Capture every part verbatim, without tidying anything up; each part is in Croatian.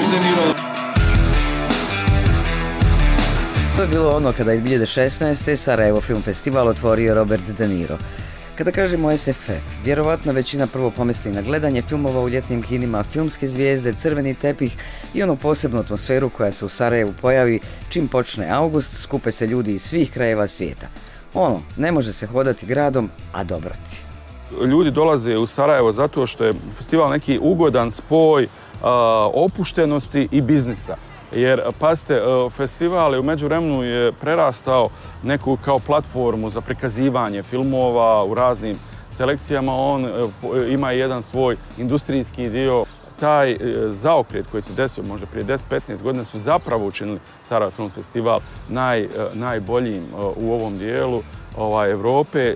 Robert De Niro. To je bilo ono kada je dvije hiljade šesnaeste. Sarajevo Film Festival otvorio Robert De Niro. Kada kažemo es ef ef, vjerovatno većina prvo pomisli na gledanje filmova u ljetnim kinima, filmske zvijezde, crveni tepih i onu posebnu atmosferu koja se u Sarajevu pojavi čim počne august, skupe se ljudi iz svih krajeva svijeta. Ono, ne može se hodati gradom, a dobroti. Ljudi dolaze u Sarajevo zato što je festival neki ugodan spoj uh, opuštenosti i biznisa. Jer, pazite, festival je u međuvremenu je prerastao neku kao platformu za prikazivanje filmova u raznim selekcijama. On ima jedan svoj industrijski dio. Taj zaokret koji se desio možda prije deset do petnaest godina su zapravo učinili Sarajevo Film Festival naj, najboljim u ovom dijelu ovaj, Evrope.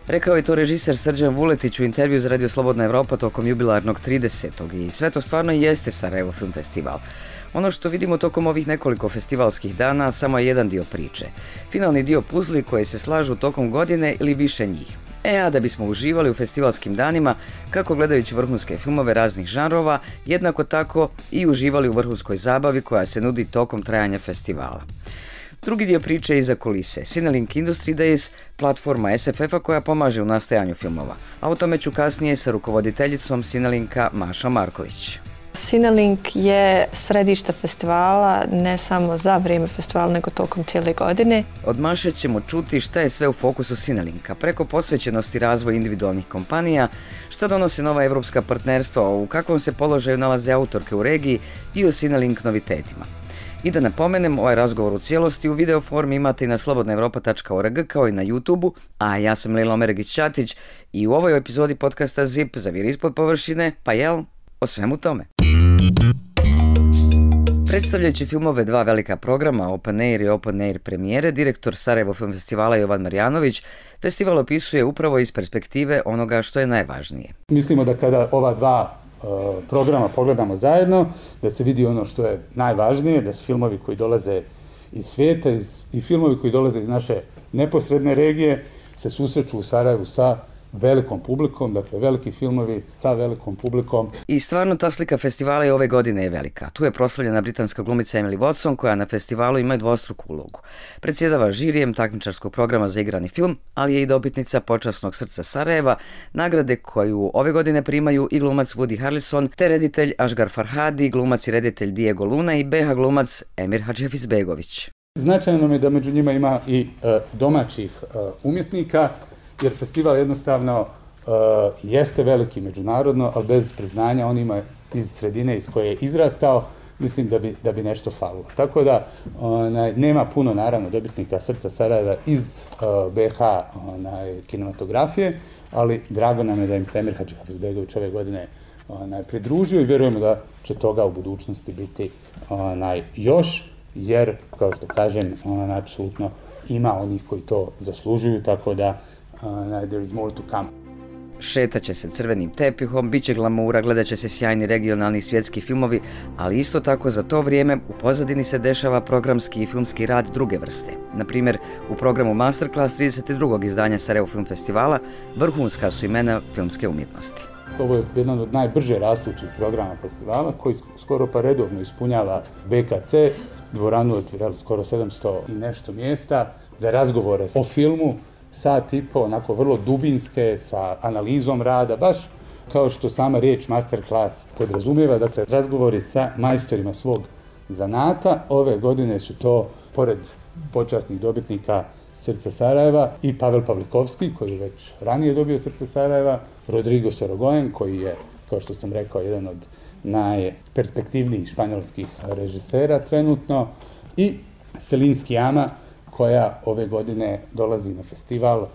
Rekao je to režiser Srđan Vuletić u intervju za Radio Slobodna Evropa tokom jubilarnog tridesetog I sve to stvarno jeste Sarajevo Film Festival. Ono što vidimo tokom ovih nekoliko festivalskih dana samo je jedan dio priče. Finalni dio puzli koji se slažu tokom godine ili više njih. E, a da bismo uživali u festivalskim danima, kako gledajući vrhunske filmove raznih žanrova, jednako tako i uživali u vrhunskoj zabavi koja se nudi tokom trajanja festivala. Drugi dio priče je iza kulise. Cinelink Industry Days, platforma es ef ef-a koja pomaže u nastajanju filmova. A o tome ću kasnije sa rukovoditeljicom Cinelinka Mašom Marković. Cinelink je središte festivala, ne samo za vrijeme festivala, nego tokom cijele godine. Od Maše ćemo čuti šta je sve u fokusu Cinelinka, preko posvećenosti razvoju individualnih kompanija, šta donose nova evropska partnerstva, u kakvom se položaju nalaze autorke u regiji i o Cinelink novitetima. I da napomenem, ovaj razgovor u cijelosti u video formi imate i na slobodna evropa tačka org kao i na YouTubeu, a ja sam Lila Omeregić-Ćatić i u ovoj epizodi podcasta Zip Zaviri ispod površine, pa jel, o svemu tome. Predstavljajući filmove dva velika programa, Open Air i Open Air premijere, direktor Sarajevo Film Festivala Jovan Marjanović festival opisuje upravo iz perspektive onoga što je najvažnije. Mislimo da kada ova dva uh, programa pogledamo zajedno, da se vidi ono što je najvažnije, da su filmovi koji dolaze iz svijeta iz, i filmovi koji dolaze iz naše neposredne regije se susreću u Sarajevu sa velikom publikom, dakle veliki filmovi sa velikom publikom. I stvarno ta slika festivala i ove godine je velika. Tu je proslavljena britanska glumica Emily Watson koja na festivalu ima dvostruku ulogu. Predsjedava žirijem takmičarskog programa za igrani film, ali je i dobitnica počasnog srca Sarajeva, nagrade koju ove godine primaju i glumac Woody Harrelson, te reditelj Asghar Farhadi, glumac i reditelj Diego Luna i be ha glumac Emir Hadžefizbegović. Značajno je da među njima ima i uh, domaćih uh, umjetnika, jer festival jednostavno uh, jeste veliki međunarodno, ali bez priznanja on ima iz sredine iz koje je izrastao, mislim da bi, da bi nešto falilo. Tako da onaj, nema puno naravno dobitnika Srca Sarajeva iz uh, be ha onaj, kinematografije, ali drago nam je da im se Emir Hadžefizbegović ove godine onaj, pridružio i vjerujemo da će toga u budućnosti biti onaj, još, jer, kao što kažem, onaj, apsolutno ima onih koji to zaslužuju, tako da Uh, there is more to come. Šetaće se crvenim tepihom, bit će glamura, gledat će se sjajni regionalni svjetski filmovi, ali isto tako za to vrijeme u pozadini se dešava programski i filmski rad druge vrste. Na primjer, u programu Masterclass trideset drugog izdanja Sarajevo Film Festivala vrhunska su imena filmske umjetnosti. Ovo je jedan od najbrže rastućih programa festivala koji skoro pa redovno ispunjava be ka ce, dvoranu od jel, skoro sedamsto i nešto mjesta za razgovore o filmu, sat i po, onako vrlo dubinske, sa analizom rada, baš kao što sama riječ masterclass podrazumijeva, dakle razgovori sa majstorima svog zanata. Ove godine su to, pored počasnih dobitnika Srca Sarajeva, i Pavel Pavlikovski, koji je već ranije dobio Srce Sarajeva, Rodrigo Sorogoyen, koji je, kao što sam rekao, jedan od najperspektivnijih španjolskih režisera trenutno, i Celine Sciamma, koja ove godine dolazi na festival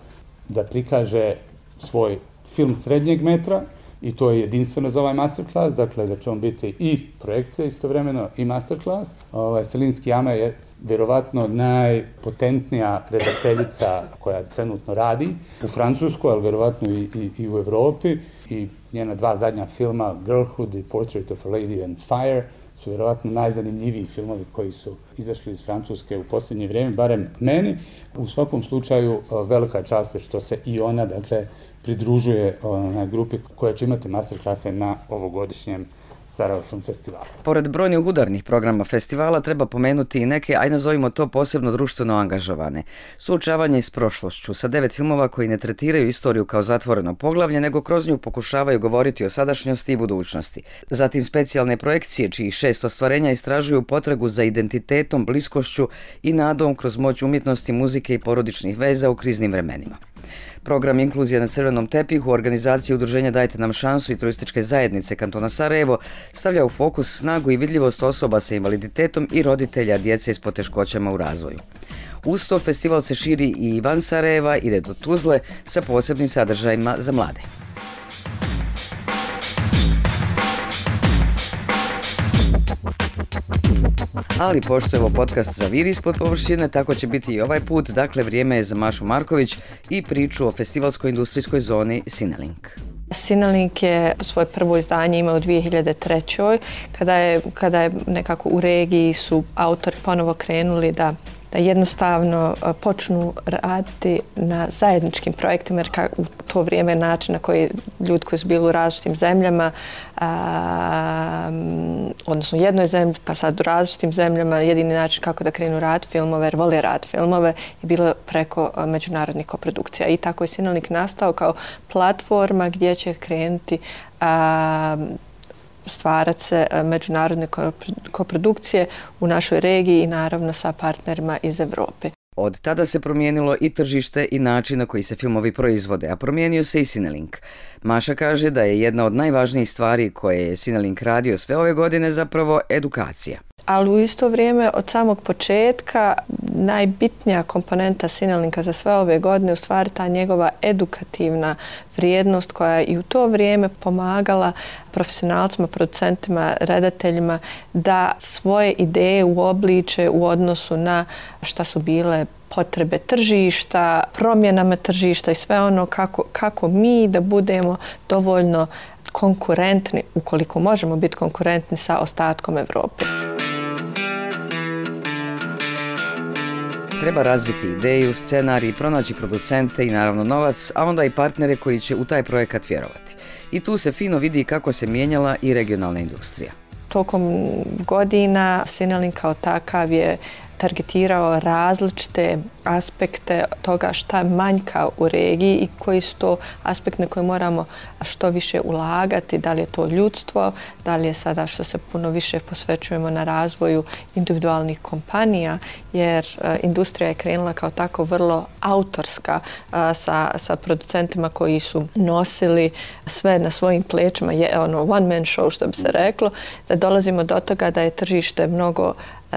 da prikaže svoj film srednjeg metra, i to je jedinstveno za ovaj masterclass, dakle da će on biti i projekcija istovremeno i masterclass. Ovaj, Celine Sciamma je vjerovatno najpotentnija redateljica koja trenutno radi u Francuskoj, ali vjerovatno i, i, i u Evropi, i njena dva zadnja filma, Girlhood i Portrait of a Lady on Fire, su vjerovatno najzanimljiviji filmovi koji su izašli iz Francuske u posljednje vrijeme, barem meni. U svakom slučaju velika čast je što se i ona, dakle, pridružuje na grupi koja će imati masterklase na ovogodišnjem Sarajevo Film Festivala. Pored brojnih udarnih programa festivala treba pomenuti i neke, aj nazovimo to, posebno društveno angažovane. Suočavanje s prošlošću sa devet filmova koji ne tretiraju istoriju kao zatvoreno poglavlje, nego kroz nju pokušavaju govoriti o sadašnjosti i budućnosti. Zatim specijalne projekcije čiji šest ostvarenja istražuju potragu za identitetom, bliskošću i nadom kroz moć umjetnosti, muzike i porodičnih veza u kriznim vremenima. Program Inkluzija na crvenom tepihu organizacije Udruženja Dajte nam šansu i turističke zajednice kantona Sarajevo stavlja u fokus snagu i vidljivost osoba sa invaliditetom i roditelja djece s poteškoćama u razvoju. Uz to festival se širi i van Sarajeva, ide do Tuzle sa posebnim sadržajima za mlade. Ali pošto je ovo podcast zaviri ispod površine, tako će biti i ovaj put. Dakle, vrijeme je za Mašu Marković i priču o festivalskoj industrijskoj zoni Cinelink. Cinelink je svoje prvo izdanje imao u dvije hiljade trećoj. Kada je, kada je nekako u regiji su autori ponovo krenuli da da jednostavno počnu raditi na zajedničkim projektima, jer u to vrijeme način na koji ljudi koji su bili u različitim zemljama, a, odnosno u jednoj zemlji, pa sad u različitim zemljama, jedini način kako da krenu rad filmove, jer vole rad filmove, je bilo preko međunarodnih koprodukcija. I tako je Cinelink nastao kao platforma gdje će krenuti a, stvarati se međunarodne koprodukcije u našoj regiji i naravno sa partnerima iz Europe. Od tada se promijenilo i tržište i način na koji se filmovi proizvode, a promijenio se i Cinelink. Maša kaže da je jedna od najvažnijih stvari koje je Cinelink radio sve ove godine zapravo edukacija. Ali u isto vrijeme od samog početka najbitnija komponenta Cinelinka za sve ove godine u stvari ta njegova edukativna vrijednost koja je i u to vrijeme pomagala profesionalcima, producentima, redateljima da svoje ideje uobliče u odnosu na šta su bile potrebe tržišta, promjenama tržišta i sve ono kako, kako mi da budemo dovoljno konkurentni, ukoliko možemo biti konkurentni sa ostatkom Europe. Treba razviti ideju, scenarij, pronaći producente i naravno novac, a onda i partnere koji će u taj projekat vjerovati. I tu se fino vidi kako se mijenjala i regionalna industrija. Tokom godina Cinelink kao takav je targetirao različite aspekte toga šta manjka u regiji i koji su to aspekte na koje moramo što više ulagati, da li je to ljudstvo, da li je sada što se puno više posvećujemo na razvoju individualnih kompanija, jer uh, industrija je krenula kao tako vrlo autorska uh, sa, sa producentima koji su nosili sve na svojim plećima, je ono one man show što bi se reklo, da dolazimo do toga da je tržište mnogo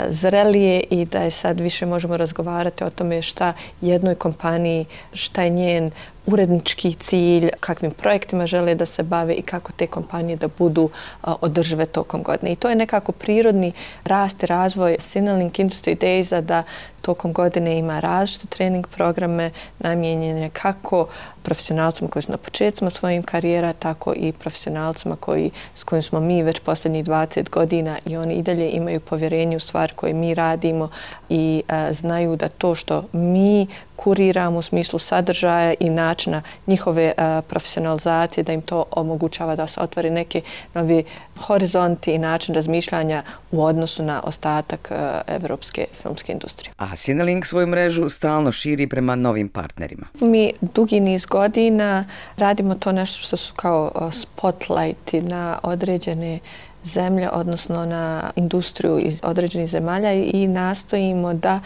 zrelije i da je sad više možemo razgovarati o tome šta jednoj kompaniji, šta je njen urednički cilj, kakvim projektima žele da se bave i kako te kompanije da budu a, održive tokom godine. I to je nekako prirodni rast i razvoj Cinelink Industry Days-a da tokom godine ima različite trening programe namijenjene kako profesionalcima koji su na početcima svojim karijera, tako i profesionalcima koji, s kojim smo mi već posljednjih dvadeset godina i oni i dalje imaju povjerenje u stvari koje mi radimo i a, znaju da to što mi kuriramo u smislu sadržaja i načina njihove uh, profesionalizacije, da im to omogućava da se otvori neki novi horizonti i način razmišljanja u odnosu na ostatak uh, evropske filmske industrije. A Cinelink svoju mrežu stalno širi prema novim partnerima. Mi dugi niz godina radimo to nešto što su kao uh, spotlighti na određene zemlje, odnosno na industriju iz određenih zemalja i nastojimo da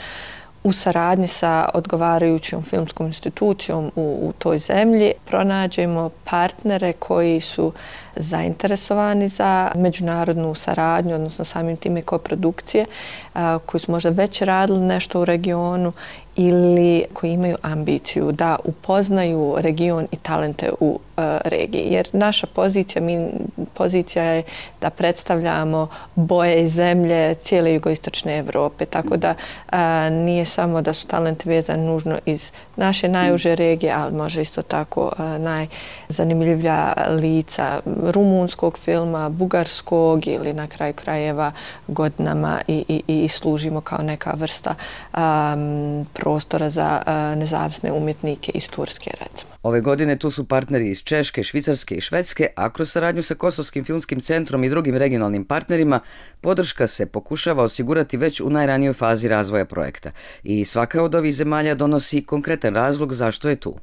u saradnji sa odgovarajućom filmskom institucijom u, u toj zemlji pronađemo partnere koji su zainteresovani za međunarodnu saradnju, odnosno samim time koprodukcije, a, koji su možda već radili nešto u regionu ili koji imaju ambiciju da upoznaju region i talente u uh, regiji. Jer naša pozicija, mi, pozicija je da predstavljamo boje i zemlje cijele jugoistočne Evrope. Tako da uh, nije samo da su talenti vezani nužno iz naše najuže regije, ali može isto tako uh, najzanimljivija lica rumunskog filma, bugarskog ili na kraju krajeva godinama i, i, i služimo kao neka vrsta um, prostora za uh, nezavisne umjetnike iz Turske, recimo. Ove godine tu su partneri iz Češke, Švicarske i Švedske, a kroz saradnju sa Kosovskim filmskim centrom i drugim regionalnim partnerima podrška se pokušava osigurati već u najranijoj fazi razvoja projekta. I svaka od ovih zemalja donosi konkretan razlog zašto je tu.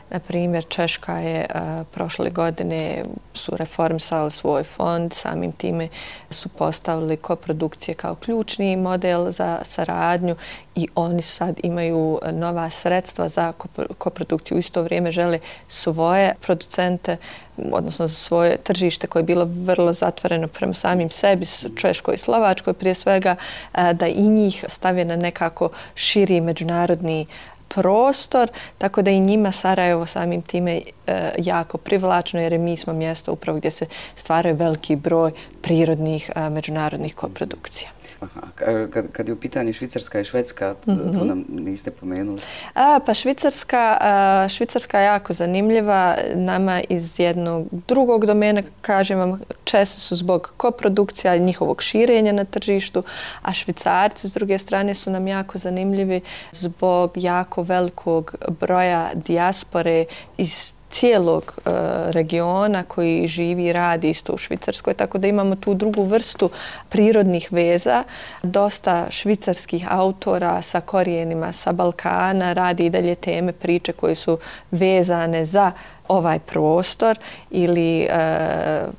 Na primjer, Češka je uh, prošle godine su reformisali svoj fond, samim time su postavili koprodukcije kao ključni model za saradnju i oni sad imaju nova sredstva za koprodukciju. U isto vrijeme žele svoje producente, odnosno za svoje tržište koje je bilo vrlo zatvoreno prema samim sebi, Češkoj i Slovačkoj prije svega, uh, da i njih stave na nekako širi međunarodni prostor, tako da i njima Sarajevo samim time e, jako privlačno, jer mi smo mjesto upravo gdje se stvaraju veliki broj prirodnih a, međunarodnih koprodukcija. Aha, kad, kad je u pitanju Švicarska i Švedska, mm-hmm. to nam niste pomenuli. A, pa Švicarska, a, Švicarska je jako zanimljiva nama iz jednog drugog domena, kažem vam, često su zbog koprodukcija i njihovog širenja na tržištu, a Švicarci s druge strane su nam jako zanimljivi zbog jako velikog broja dijaspore iz cijelog uh, regiona koji živi i radi isto u Švicarskoj, tako da imamo tu drugu vrstu prirodnih veza. Dosta švicarskih autora sa korijenima sa Balkana radi i dalje teme, priče koje su vezane za ovaj prostor ili uh,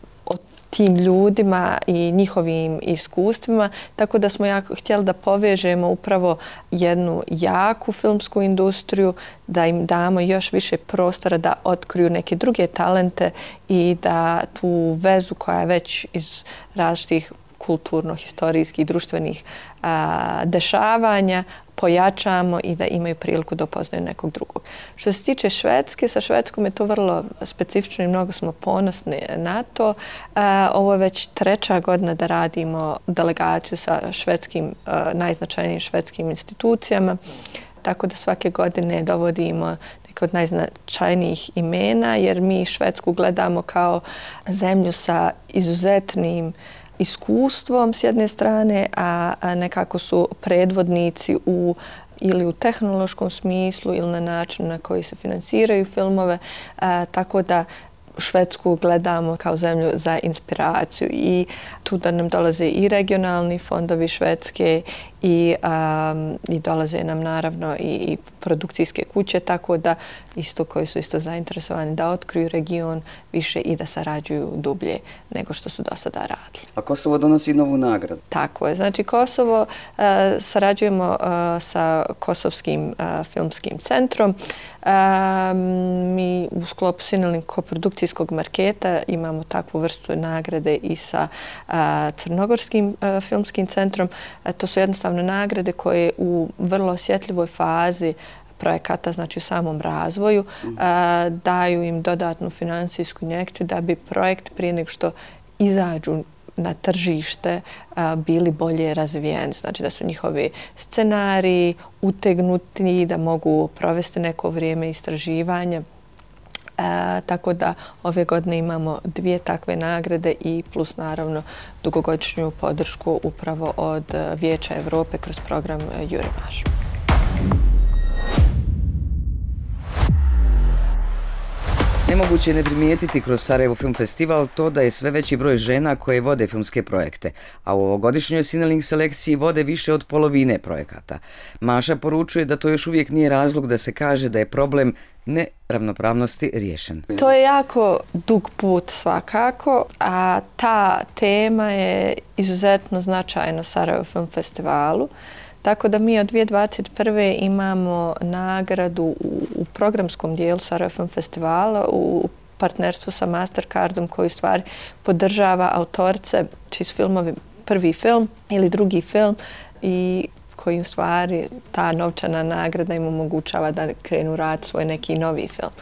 tim ljudima i njihovim iskustvima, tako da smo jako htjeli da povežemo upravo jednu jaku filmsku industriju, da im damo još više prostora da otkriju neke druge talente i da tu vezu koja je već iz različitih kulturno, historijskih, društvenih a, dešavanja pojačamo i da imaju priliku da upoznaju nekog drugog. Što se tiče Švedske, sa Švedskom je to vrlo specifično i mnogo smo ponosni na to. A, ovo je već treća godina da radimo delegaciju sa švedskim, a, najznačajnijim švedskim institucijama, tako da svake godine dovodimo neke od najznačajnijih imena, jer mi Švedsku gledamo kao zemlju sa izuzetnim iskustvom s jedne strane, a nekako su predvodnici u ili u tehnološkom smislu ili na način na koji se finansiraju filmove, a, tako da Švedsku gledamo kao zemlju za inspiraciju i tu da nam dolaze i regionalni fondovi Švedske i, um, i dolaze nam naravno i, i produkcijske kuće, tako da isto koji su isto zainteresovani da otkriju region više i da sarađuju dublje nego što su do sada radili. A Kosovo donosi novu nagradu? Tako je. Znači Kosovo uh, sarađujemo uh, sa Kosovskim uh, filmskim centrom. Uh, mi u sklopu Sinelink koprodukcijskog marketa imamo takvu vrstu nagrade i sa uh, Crnogorskim uh, filmskim centrom. Uh, to su jednostavno nagrade koje u vrlo osjetljivoj fazi projekata, znači u samom razvoju, mm. a, daju im dodatnu finansijsku injekciju da bi projekt prije nego što izađu na tržište a, bili bolje razvijeni. Znači da su njihovi scenariji utegnuti, da mogu provesti neko vrijeme istraživanja. E, tako da ove godine imamo dvije takve nagrade i plus naravno dugogodišnju podršku upravo od Vijeća Europe kroz program Jurimaž. Nemoguće je ne primijetiti kroz Sarajevo Film Festival to da je sve veći broj žena koje vode filmske projekte, a u ovogodišnjoj Sinelink selekciji vode više od polovine projekata. Maša poručuje da to još uvijek nije razlog da se kaže da je problem neravnopravnosti riješen. To je jako dug put svakako, a ta tema je izuzetno značajna Sarajevo Film Festivalu. Tako da mi od dvije tisuće dvadeset prve imamo nagradu u, u programskom dijelu Sarajevo Film Festivala u partnerstvu sa Mastercardom koji u stvari podržava autorice čiji su filmovi prvi film ili drugi film i koji u stvari ta novčana nagrada im omogućava da krenu rad svoj neki novi film.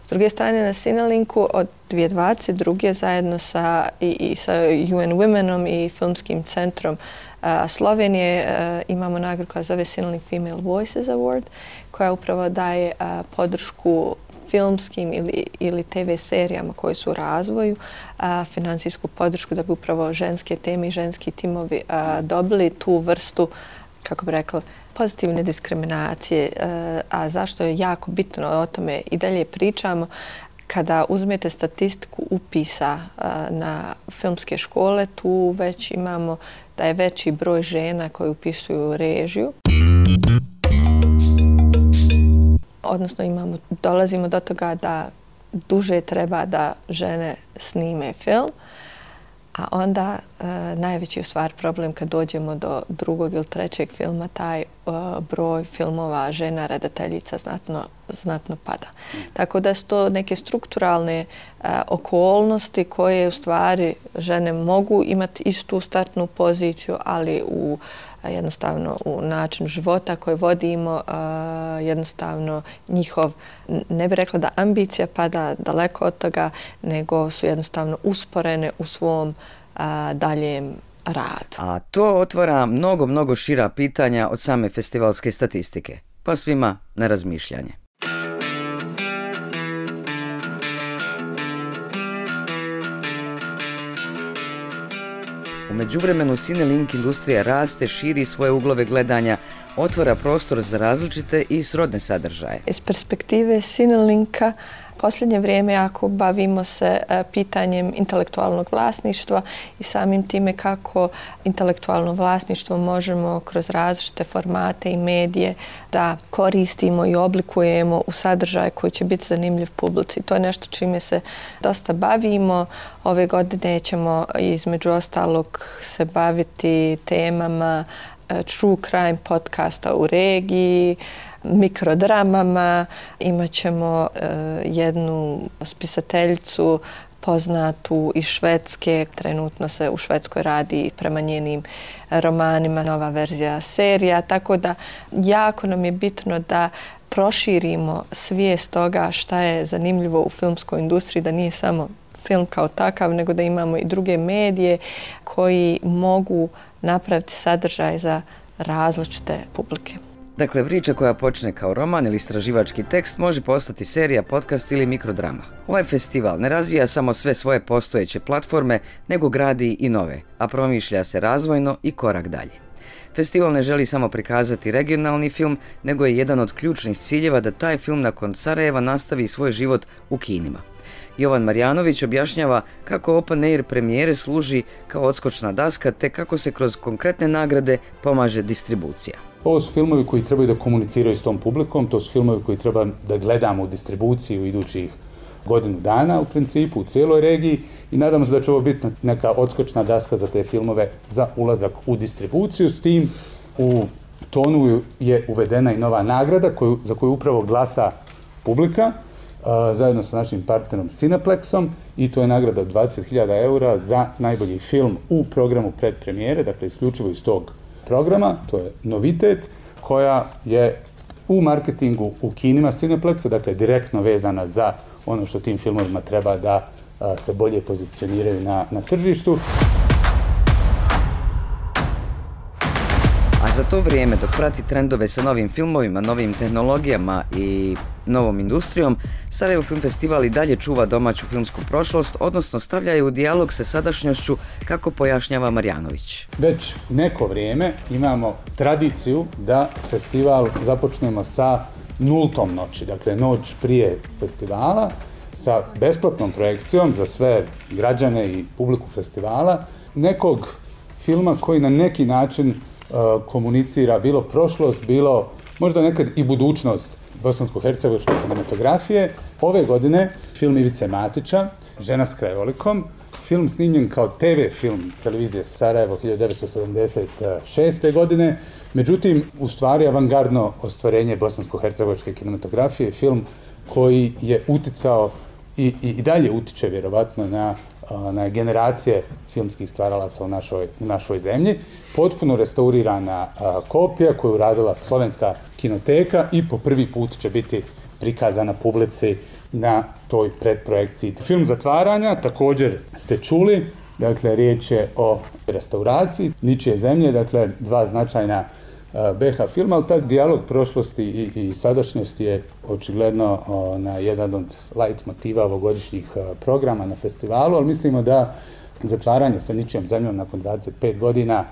S druge strane na Sinelinku od dvije tisuće dvadeset druge zajedno sa, i, i sa U N Womenom i filmskim centrom a, Slovenije a, imamo nagradu koja zove Sinelink Female Voices Award koja upravo daje a, podršku filmskim ili, ili te ve serijama koji su u razvoju, a, finansijsku podršku da bi upravo ženske teme i ženski timovi a, dobili tu vrstu, kako bi rekla, pozitivne diskriminacije, a zašto je jako bitno o tome i dalje pričamo. Kada uzmete statistiku upisa na filmske škole, tu već imamo da je veći broj žena koji upisuju režiju. Odnosno imamo, dolazimo do toga da duže treba da žene snime film, a onda e, najveći je u stvari problem kad dođemo do drugog ili trećeg filma, taj e, broj filmova žena redateljica znatno, znatno pada. Tako da su to neke strukturalne e, okolnosti koje u stvari žene mogu imati istu startnu poziciju, ali u jednostavno u način života koji vodimo, jednostavno njihov, ne bih rekla da ambicija pada daleko od toga, nego su jednostavno usporene u svom daljem radu. A to otvara mnogo, mnogo šira pitanja od same festivalske statistike, pa svima na razmišljanje. U međuvremenu Cinelink industrija raste, širi svoje uglove gledanja, otvara prostor za različite i srodne sadržaje. Iz perspektive Cinelinka posljednje vrijeme jako bavimo se pitanjem intelektualnog vlasništva i samim time kako intelektualno vlasništvo možemo kroz različite formate i medije da koristimo i oblikujemo u sadržaj koji će biti zanimljiv publici. To je nešto čime se dosta bavimo. Ove godine ćemo između ostalog se baviti temama true crime podcasta u regiji, mikrodramama. Imat ćemo uh, jednu spisateljicu poznatu iz Švedske. Trenutno se u Švedskoj radi prema njenim romanima nova verzija serija. Tako da jako nam je bitno da proširimo svijest toga šta je zanimljivo u filmskoj industriji, da nije samo film kao takav, nego da imamo i druge medije koji mogu napraviti sadržaj za različite publike. Dakle, priča koja počne kao roman ili istraživački tekst može postati serija, podcast ili mikrodrama. Ovaj festival ne razvija samo sve svoje postojeće platforme, nego gradi i nove, a promišlja se razvojno i korak dalje. Festival ne želi samo prikazati regionalni film, nego je jedan od ključnih ciljeva da taj film nakon Sarajeva nastavi svoj život u kinima. Jovan Marjanović objašnjava kako Open Air premijere služi kao odskočna daska te kako se kroz konkretne nagrade pomaže distribucija. Ovo su filmovi koji trebaju da komuniciraju s tom publikom, to su filmovi koji treba da gledamo u distribuciji u idućih godinu dana u principu, u cijeloj regiji i nadamo se da će ovo biti neka odskočna daska za te filmove za ulazak u distribuciju. S tim u tonu je uvedena i nova nagrada koju, za koju upravo glasa publika, zajedno sa našim partnerom Cineplexom i to je nagrada od dvadeset hiljada eura za najbolji film u programu predpremijere, dakle isključivo iz tog programa, to je novitet koja je u marketingu u kinima Cineplexa, dakle direktno vezana za ono što tim filmovima treba da a, se bolje pozicioniraju na, na tržištu. A za to vrijeme, dok prati trendove sa novim filmovima, novim tehnologijama i novom industrijom, Sarajevo Film Festival i dalje čuva domaću filmsku prošlost, odnosno stavlja je u dijalog sa sadašnjošću, kako pojašnjava Marjanović. Već neko vrijeme imamo tradiciju da festival započnemo sa nultom noći, dakle noć prije festivala, sa besplatnom projekcijom za sve građane i publiku festivala, nekog filma koji na neki način komunicira bilo prošlost, bilo možda nekad i budućnost bosansko-hercegovačke kinematografije. Ove godine film Ivice Matića, Žena s krajolikom, film snimljen kao te ve film televizije Sarajevo hiljadu devetsto sedamdeset šeste. godine, međutim, u stvari avangardno ostvarenje bosansko-hercegovačke kinematografije, film koji je uticao i, i, i dalje utiče vjerovatno na na generacije filmskih stvaralaca u našoj, u našoj zemlji. Potpuno restaurirana a, kopija koju je uradila Slovenska kinoteka i po prvi put će biti prikazana publici na toj predprojekciji. Film Zatvaranja također ste čuli, dakle riječ je o restauraciji Ničije zemlje, dakle dva značajna be ha filma, ali taj dijalog prošlosti i, i sadašnjosti je očigledno o, na jedan od light motiva ovogodišnjih o, programa na festivalu, ali mislimo da Zatvaranje sa Ničijom zemljom nakon dvadeset pet godina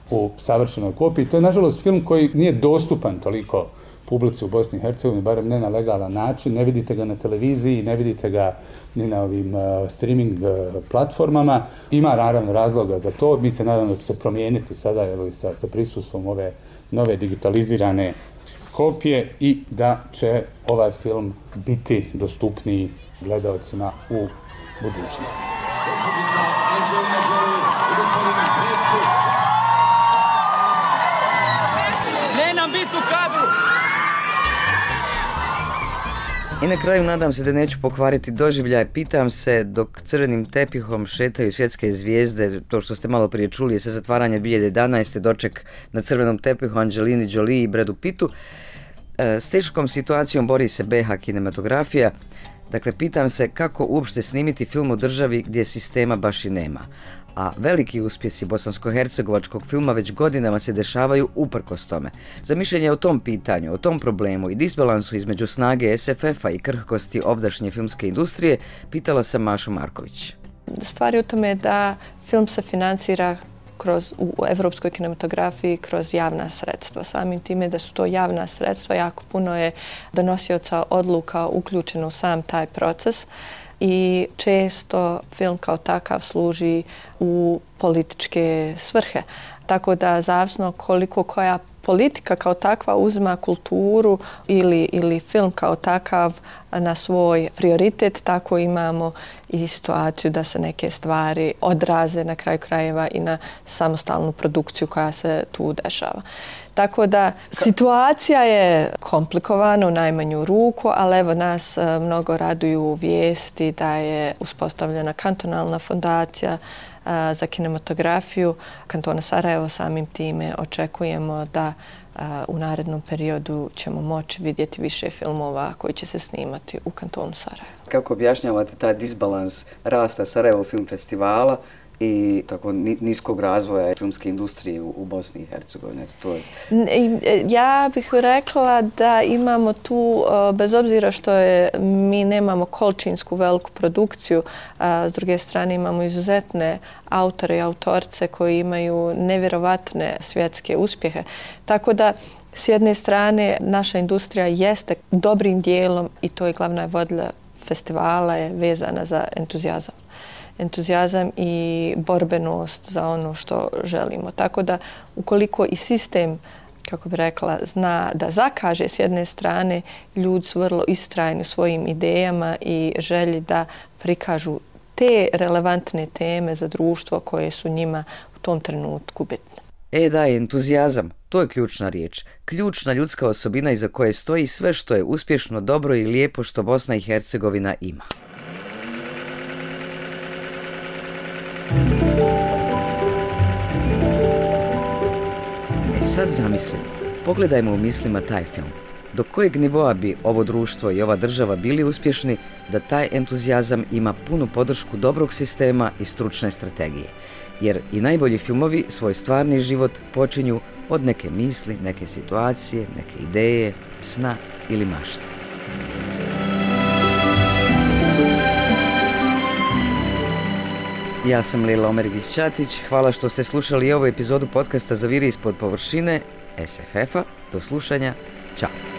u savršenoj kopiji. To je, nažalost, film koji nije dostupan toliko publici u Bosni i Hercegovini, barem ne na legalan način. Ne vidite ga na televiziji, ne vidite ga ni na ovim uh, streaming uh, platformama. Ima naravno razloga za to. Mi se nadamo da će se promijeniti sada, evo, sa, sa prisustvom ove nove digitalizirane kopije i da će ovaj film biti dostupniji gledaocima u budućnosti. Ne nam biti u kadru! I na kraju nadam se da neću pokvariti doživljaj. Pitam se, dok crvenim tepihom šetaju svjetske zvijezde, to što ste malo prije čuli je sa zatvaranja dvije hiljade jedanaeste. doček na crvenom tepihu Angelini Jolie i Bradu Pittu. S teškom situacijom bori se B H kinematografija. Dakle, pitam se kako uopšte snimiti film u državi gdje sistema baš i nema. A veliki uspjesi bosansko-hercegovačkog filma već godinama se dešavaju uprkos tome. Za mišljenje o tom pitanju, o tom problemu i disbalansu između snage S F F-a i krhkosti ovdašnje filmske industrije, pitala sam Mašu Marković. Stvar je u tome da film se financira kroz, u evropskoj kinematografiji kroz javna sredstva. Samim time da su to javna sredstva, jako puno je donosioca odluka uključeno u sam taj proces i često film kao takav služi u političke svrhe. Tako da zavisno koliko koja politika kao takva uzima kulturu ili, ili film kao takav na svoj prioritet, tako imamo i situaciju da se neke stvari odraze na kraju krajeva i na samostalnu produkciju koja se tu dešava. Tako da situacija je komplikovana u najmanju ruku, ali evo nas mnogo raduju vijesti da je uspostavljena kantonalna fondacija za kinematografiju kantona Sarajevo. Samim time očekujemo da u narednom periodu ćemo moći vidjeti više filmova koji će se snimati u kantonu Sarajevo. Kako objašnjavate taj disbalans rasta Sarajevo Film Festivala i tako niskog razvoja filmske industrije u, u Bosni i Hercegovini? To je... Ja bih rekla da imamo tu, bez obzira što je, mi nemamo količinsku veliku produkciju, a s druge strane imamo izuzetne autore i autorce koji imaju nevjerovatne svjetske uspjehe. Tako da s jedne strane naša industrija jeste dobrim dijelom, i to je glavna vodilja festivala, je vezana za entuzijazam. entuzijazam i borbenost za ono što želimo. Tako da ukoliko i sistem, kako bi rekla, zna da zakaže s jedne strane, ljudi su vrlo istrajni u svojim idejama i želji da prikažu te relevantne teme za društvo koje su njima u tom trenutku bitne. E da, entuzijazam, to je ključna riječ. Ključna ljudska osobina iza koje stoji sve što je uspješno, dobro i lijepo što Bosna i Hercegovina ima. E sad zamislimo, pogledajmo u mislima taj film. Do kojeg nivoa bi ovo društvo i ova država bili uspješni da taj entuzijazam ima punu podršku dobrog sistema i stručne strategije. Jer i najbolji filmovi svoj stvarni život počinju od neke misli, neke situacije, neke ideje, sna ili mašte. Ja sam Lila Omergić-Ćatić, hvala što ste slušali ovu epizodu podcasta Zaviri ispod površine S F F-a. Do slušanja, čao!